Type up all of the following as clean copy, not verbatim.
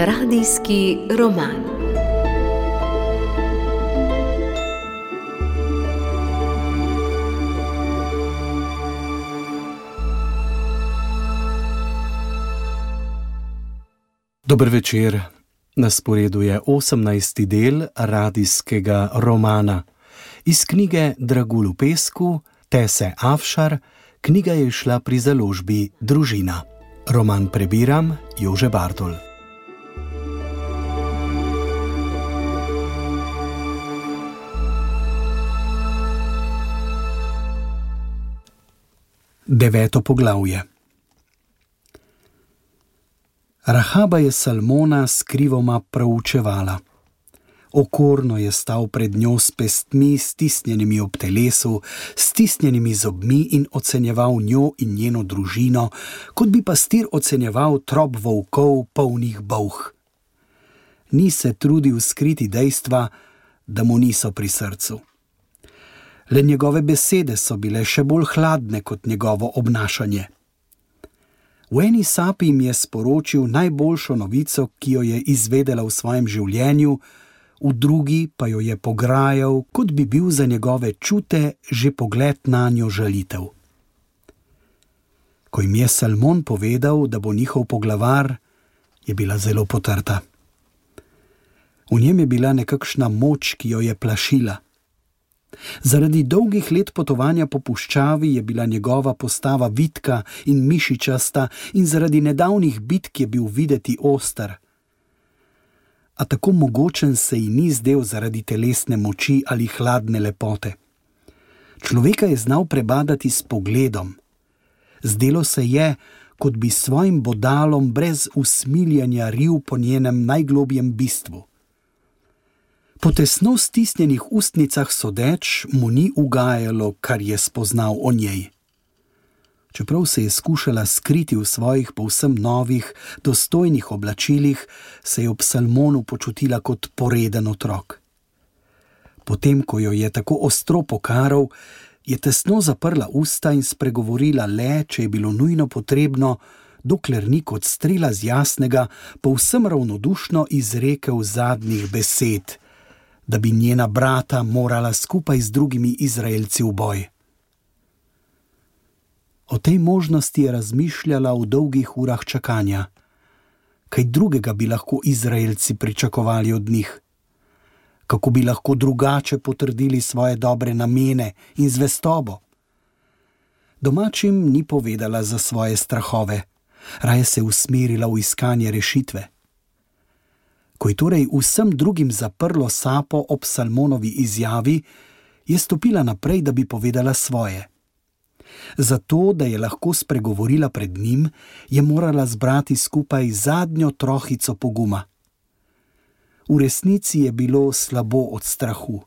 Radijski roman. Dober večer. Na sporedu je 18. del radijskega romana. Iz knjige Dragulj v pesku, Tese Afšar, knjiga je šla pri založbi Družina. Roman prebiram Jože Bartol. Deveto poglavje. Rahaba je Salmona skrivoma proučevala. Okorno je stal pred njo s pestmi, stisnjenimi ob telesu, stisnjenimi zobmi in ocenjeval njo in njeno družino, kot bi pastir ocenjeval trop volkov, polnih bolh. Ni se trudil skriti dejstva, da mu niso pri srcu. Le njegove besede so bile še bolj hladne kot njegovo obnašanje. V eni sapi jim je sporočil najboljšo novico, ki jo je izvedela v svojem življenju, v drugi pa jo je pograjal, kot bi bil za njegove čute že pogled nanjo žalitev. Ko jim je Salmon povedal, da bo njihov poglavar, je bila zelo potrta. V njem je bila nekakšna moč, ki jo je plašila. Zaradi dolgih let potovanja po puščavi je bila njegova postava vitka in mišičasta in zaradi nedavnih bitk je bil videti oster. A tako mogočen se ji ni zdel zaradi telesne moči ali hladne lepote. Človeka je znal prebadati s pogledom. Zdelo se je, kot bi svojim bodalom brez usmiljanja ril po njenem najglobjem bistvu. Po tesno stisnjenih ustnicah sodeč mu ni ugajalo, kar je spoznal o njej. Čeprav se je skušala skriti v svojih povsem novih, dostojnih oblačilih, se je ob Salmonu počutila kot poreden otrok. Potem, ko jo je tako ostro pokaral, je tesno zaprla usta in spregovorila le, če je bilo nujno potrebno, dokler ni kot strela z jasnega, povsem ravnodušno izrekel zadnjih besed, da bi njena brata morala skupaj z drugimi Izraelci v boj. O tej možnosti je razmišljala v dolgih urah čakanja. Kaj drugega bi lahko Izraelci pričakovali od njih? Kako bi lahko drugače potrdili svoje dobre namene in zvestobo? Domačim ni povedala za svoje strahove, raje se usmerila v iskanje rešitve. Ko je torej vsem drugim zaprlo sapo ob Salmonovi izjavi, je stopila naprej, da bi povedala svoje. Zato, da je lahko spregovorila pred njim, je morala zbrati skupaj zadnjo trohico poguma. V resnici je bilo slabo od strahu.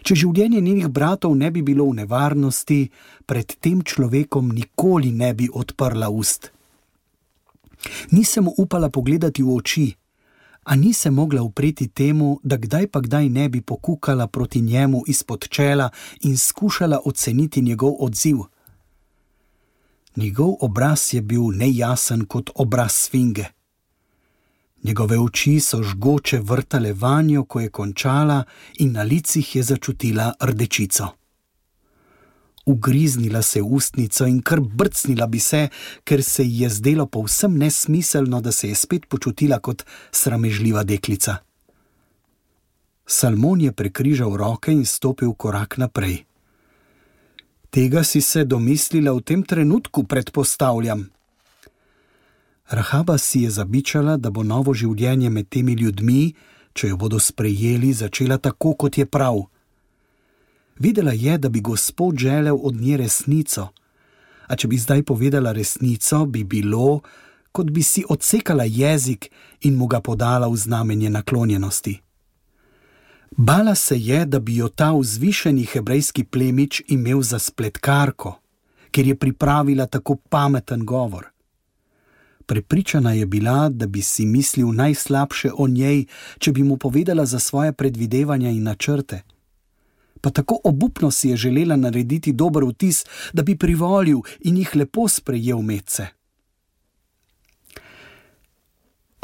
Če življenje njenih bratov ne bi bilo v nevarnosti, pred tem človekom nikoli ne bi odprla ust. Nisem mu upala pogledati v oči, a ni se mogla upreti temu, da kdaj pa kdaj ne bi pokukala proti njemu izpod čela in skušala oceniti njegov odziv. Njegov obraz je bil nejasen kot obraz sfinge. Njegove oči so žgoče vrtale vanjo, ko je končala, in na licih je začutila rdečico. Ugriznila se v ustnico in kar brcnila bi se, ker se ji je zdelo povsem nesmiselno, da se je spet počutila kot sramežljiva deklica. Salmon je prekrižal roke in stopil korak naprej. Tega si se domislila v tem trenutku, predpostavljam. Rahaba si je zabičala, da bo novo življenje med temi ljudmi, če jo bodo sprejeli, začela tako, kot je prav. Videla je, da bi Gospod želel od nje resnico, a če bi zdaj povedala resnico, bi bilo, kot bi si odsekala jezik in mu ga podala v znamenje naklonjenosti. Bala se je, da bi jo ta vzvišeni hebrejski plemič imel za spletkarko, ker je pripravila tako pameten govor. Prepričana je bila, da bi si mislil najslabše o njej, če bi mu povedala za svoje predvidevanja in načrte. Pa tako obupno si je želela narediti dober vtis, da bi privolil in jih lepo sprejel medse.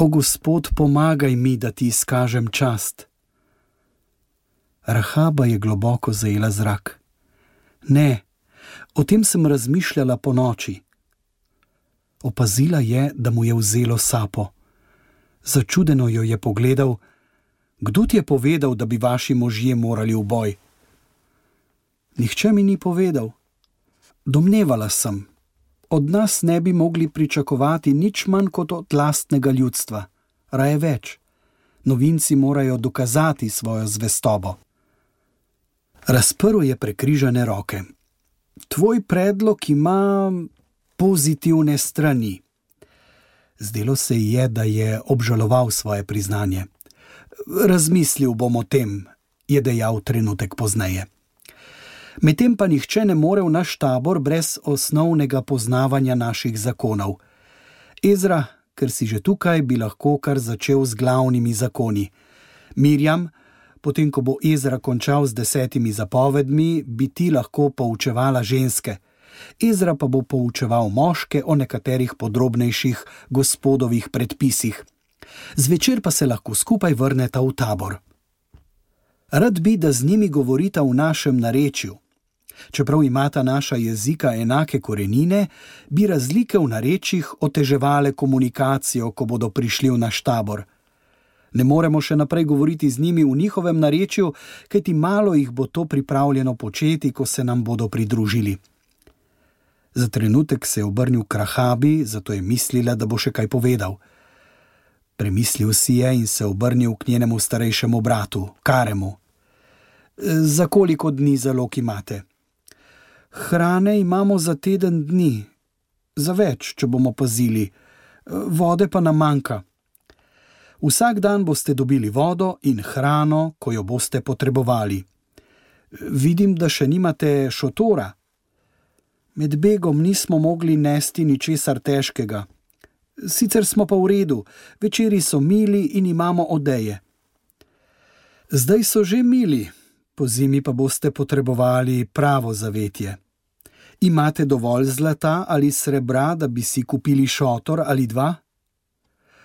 O Gospod, pomagaj mi, da ti izkažem čast. Rahaba je globoko zajela zrak. Ne, o tem sem razmišljala ponoči. Opazila je, da mu je vzelo sapo. Začudeno jo je pogledal. Kdo ti je povedal, da bi vaši možje morali v boj? Nihče mi ni povedal. Domnevala sem. Od nas ne bi mogli pričakovati nič manj kot od lastnega ljudstva. Raje več. Novinci morajo dokazati svojo zvestobo. Razprl je prekrižane roke. Tvoj predlog ima pozitivne strani. Zdelo se ji je, da je obžaloval svoje priznanje. Razmislil bom o tem, je dejal trenutek pozneje. Medtem pa nihče ne more v naš tabor brez osnovnega poznavanja naših zakonov. Ezra, ker si že tukaj, bi lahko kar začel z glavnimi zakoni. Mirjam, potem ko bo Ezra končal z 10 zapovedmi, bi ti lahko poučevala ženske. Ezra pa bo poučeval moške o nekaterih podrobnejših gospodovih predpisih. Zvečer pa se lahko skupaj vrneta v tabor. Rad bi, da z njimi govorita v našem narečju. Čeprav imata naša jezika enake korenine, bi razlike v narečjih oteževale komunikacijo, ko bodo prišli v naš tabor. Ne moremo še naprej govoriti z njimi v njihovem narečju, kajti malo jih bo to pripravljeno početi, ko se nam bodo pridružili. Za trenutek se je obrnil k Rahabi, zato je mislila, da bo še kaj povedal. Premislil si je in se obrnil k njenemu starejšemu bratu, Karemu. Za koliko dni zalog imate? Hrane imamo za teden dni. Za več, če bomo pazili. Vode pa nam manjka. Vsak dan boste dobili vodo in hrano, ko jo boste potrebovali. Vidim, da še nimate šotora. Med begom nismo mogli nesti ničesar težkega. Sicer smo pa v redu, večeri so mili in imamo odeje. Zdaj so že mili, pozimi pa boste potrebovali pravo zavetje. Imate dovolj zlata ali srebra, da bi si kupili šotor ali dva?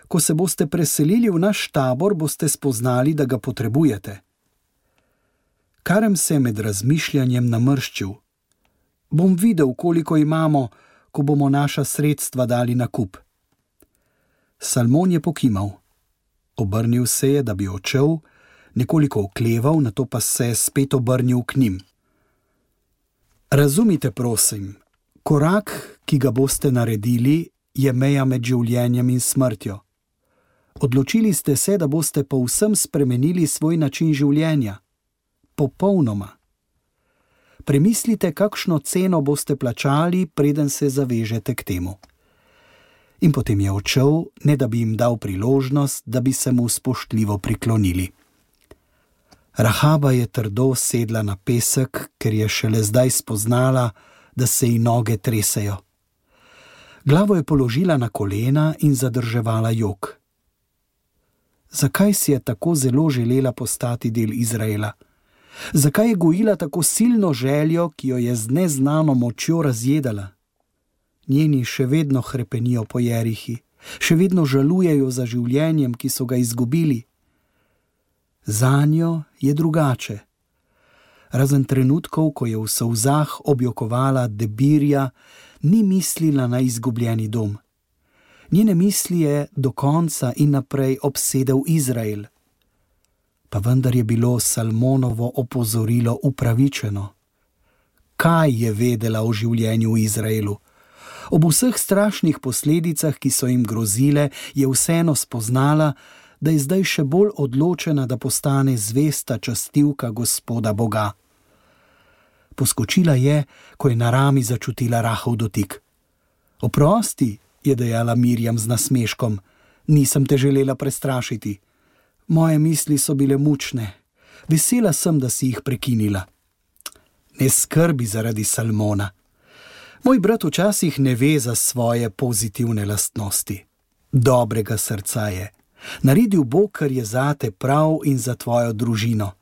Ko se boste preselili v naš tabor, boste spoznali, da ga potrebujete. Karem se je med razmišljanjem namrščil. Bom videl, koliko imamo, ko bomo naša sredstva dali na kup. Salmon je pokimal. Obrnil se je, da bi odšel, nekoliko okleval, nato pa se spet obrnil k njim. Razumite, prosim, korak, ki ga boste naredili, je meja med življenjem in smrtjo. Odločili ste se, da boste povsem spremenili svoj način življenja. Popolnoma. Premislite, kakšno ceno boste plačali, preden se zavežete k temu. In potem je odšel, ne da bi jim dal priložnost, da bi se mu spoštljivo priklonili. Rahaba je trdo sedla na pesek, ker je šele zdaj spoznala, da se ji noge tresejo. Glavo je položila na kolena in zadrževala jok. Zakaj si je tako zelo želela postati del Izraela? Zakaj je gojila tako silno željo, ki jo je z neznano močjo razjedala? Njeni še vedno hrepenijo po Jerihi, še vedno žalujejo za življenjem, ki so ga izgubili. Zanjo je drugače. Razen trenutkov, ko je v solzah objokovala Debirja, ni mislila na izgubljeni dom. Njene misli je do konca in naprej obsedel Izrael. Pa vendar je bilo Salmonovo opozorilo upravičeno. Kaj je vedela o življenju v Izraelu? Ob vseh strašnih posledicah, ki so jim grozile, je vseeno spoznala, da je zdaj še bolj odločena, da postane zvesta častivka Gospoda Boga. Poskočila je, ko je na rami začutila rahel dotik. Oprosti, je dejala Mirjam z nasmeškom, nisem te želela prestrašiti. Moje misli so bile mučne. Vesela sem, da si jih prekinila. Ne skrbi zaradi Salmona. Moj brat včasih ne ve za svoje pozitivne lastnosti. Dobrega srca je. Naredil bo, kar je zate prav in za tvojo družino.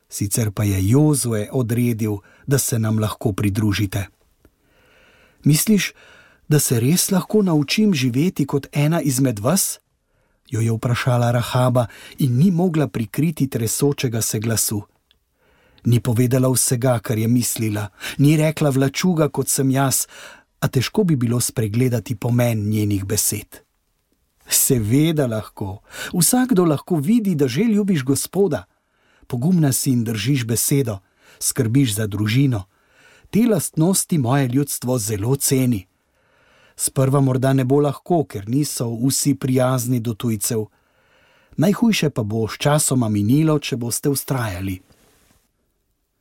Sicer pa je Jozue odredil, da se nam lahko pridružite. Misliš, da se res lahko naučim živeti kot ena izmed vas? jo je vprašala Rahaba in ni mogla prikriti tresočega se glasu. Ni povedala vsega, kar je mislila, ni rekla vlačuga, kot sem jaz, a težko bi bilo spregledati pomen njenih besed. Seveda lahko, vsakdo lahko vidi, da že ljubiš Gospoda. Pogumna si in držiš besedo, skrbiš za družino. Te lastnosti moje ljudstvo zelo ceni. Sprva morda ne bo lahko, ker niso vsi prijazni do tujcev. Najhujše pa bo sčasoma minilo, če boste vztrajali.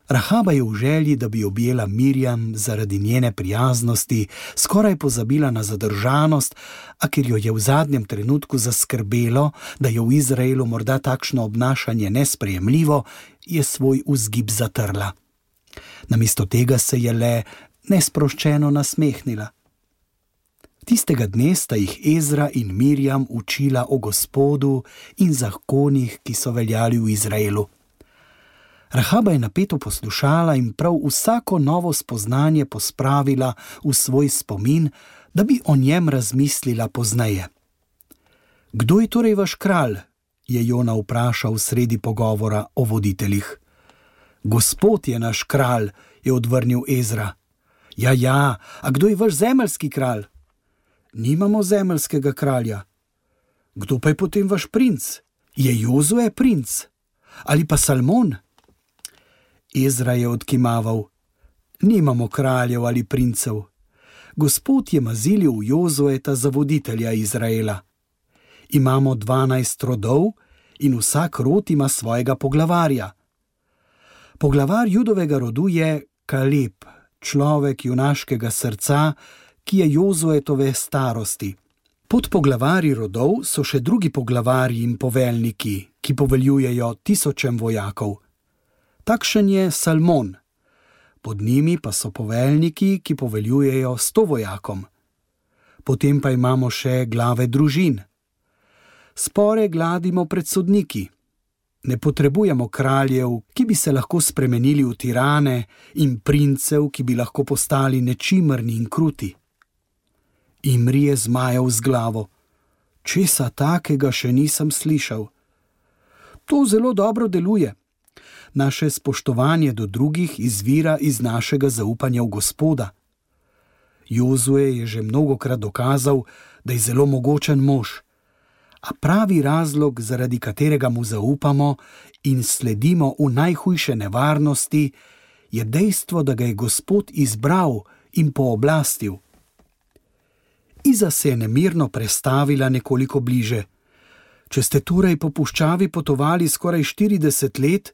Rahaba je v želji, da bi objela Mirjam zaradi njene prijaznosti, skoraj pozabila na zadržanost, a ker jo je v zadnjem trenutku zaskrbelo, da je v Izraelu morda takšno obnašanje nesprejemljivo, je svoj vzgib zatrla. Namesto tega se je le nesproščeno nasmehnila. Tistega dne sta jih Ezra in Mirjam učila o Gospodu in zakonih, ki so veljali v Izraelu. Rahaba je napeto poslušala in prav vsako novo spoznanje pospravila v svoj spomin, da bi o njem razmislila pozneje. Kdo je torej vaš kralj? Je Jona vprašal sredi pogovora o voditeljih. Gospod je naš kralj, je odvrnil Ezra. Ja, a kdo je vaš zemeljski kralj? Nimamo zemeljskega kralja. Kdo pa je potem vaš princ? Je Jozue princ? Ali pa Salmon? Ezra je odkimaval. Nimamo kraljev ali princev. Gospod je mazilil Jozueta za voditelja Izraela. Imamo 12 rodov in vsak rod ima svojega poglavarja. Poglavar Judovega rodu je Kaleb, človek junaškega srca, ki je Jozuetove starosti. Pod poglavarji rodov so še drugi poglavarji in poveljniki, ki poveljujejo 1000 vojakov. Takšen je Salmon. Pod njimi pa so poveljniki, ki poveljujejo 100 vojakom. Potem pa imamo še glave družin. Spore gladimo pred sodniki. Ne potrebujemo kraljev, ki bi se lahko spremenili v tirane, in princev, ki bi lahko postali nečimrni in kruti. Imri je zmajal z glavo. Česa takega še nisem slišal. To zelo dobro deluje. Naše spoštovanje do drugih izvira iz našega zaupanja v Gospoda. Jozue je že mnogokrat dokazal, da je zelo mogočen mož, a pravi razlog, zaradi katerega mu zaupamo in sledimo v najhujše nevarnosti, je dejstvo, da ga je Gospod izbral in pooblastil. Iza se je nemirno prestavila nekoliko bliže. Če ste torej po puščavi potovali skoraj 40 let,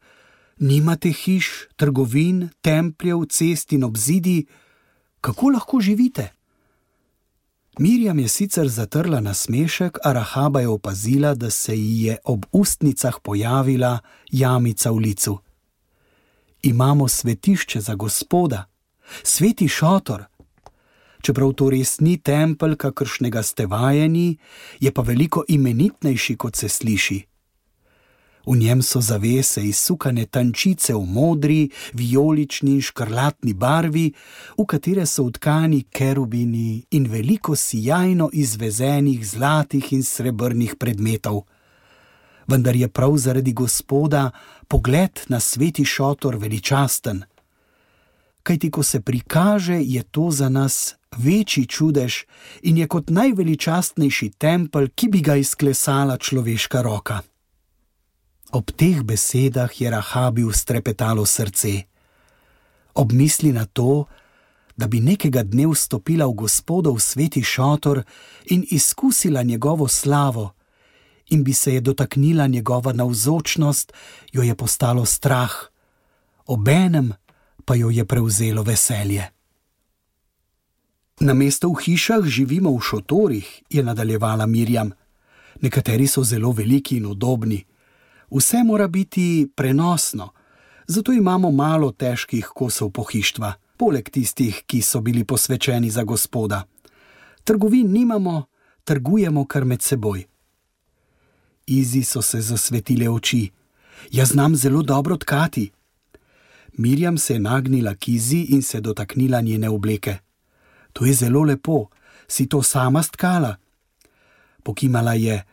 nimate hiš, trgovin, templjev, cest in obzidij, kako lahko živite? Mirjam je sicer zatrla nasmešek, a Rahaba je opazila, da se ji je ob ustnicah pojavila jamica v licu. Imamo svetišče za Gospoda, sveti šotor. Čeprav to res ni tempelj, kakršnega ste vajeni, je pa veliko imenitnejši, kot se sliši. V njem so zavese izsukane tančice v modri, vijolični in škrlatni barvi, v katere so vtkani kerubini in veliko sijajno izvezenih zlatih in srebrnih predmetov. Vendar je prav zaradi Gospoda pogled na sveti šotor veličasten. Kajti ko se prikaže, je to za nas večji čudež in je kot najveličastnejši tempelj, ki bi ga izklesala človeška roka. Ob teh besedah je Rahabi strepetalo srce. Ob misli na to, da bi nekega dne vstopila v Gospodov sveti šotor in izkusila njegovo slavo in bi se je dotaknila njegova navzočnost, jo je postalo strah, obenem pa jo je prevzelo veselje. Namesto v hišah živimo v šotorih, je nadaljevala Mirjam. Nekateri so zelo veliki in udobni. Vse mora biti prenosno, zato imamo malo težkih kosov pohištva, poleg tistih, ki so bili posvečeni za Gospoda. Trgovin nimamo, trgujemo kar med seboj. Izi so se zasvetile oči. Jaz znam zelo dobro tkati. Mirjam se je nagnila k Izi in se dotaknila njene obleke. To je zelo lepo, si to sama stkala? Pokimala je.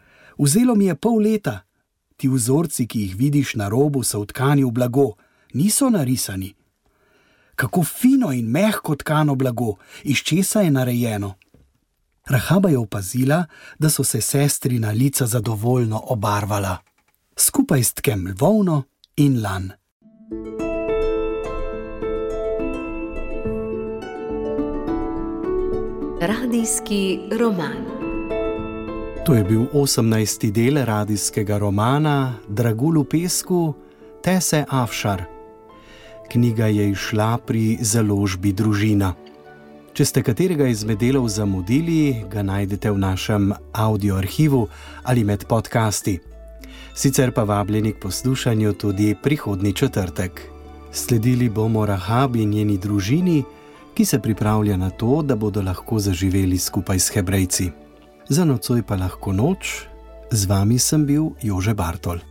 Vzelo mi je pol leta. Ti vzorci, ki jih vidiš na robu, so vtkani v blago, niso narisani. Kako fino in mehko tkano blago, iz česa je narejeno. Rahaba je opazila, da so se sestrina lica zadovoljno obarvala. Skupaj s tkem volno in lan. Radijski roman. To je bil 18. del radijskega romana Dragulj v pesku Tese Afšar. Knjiga je izšla pri založbi Družina. Če ste katerega izmed delov zamudili, ga najdete v našem audioarhivu ali med podcasti. Sicer pa vabljeni k poslušanju tudi prihodnji četrtek. Sledili bomo Rahabi in njeni družini, ki se pripravlja na to, da bodo lahko zaživeli skupaj s Hebrejci. Za nocoj pa lahko noč. Z vami sem bil Jože Bartol.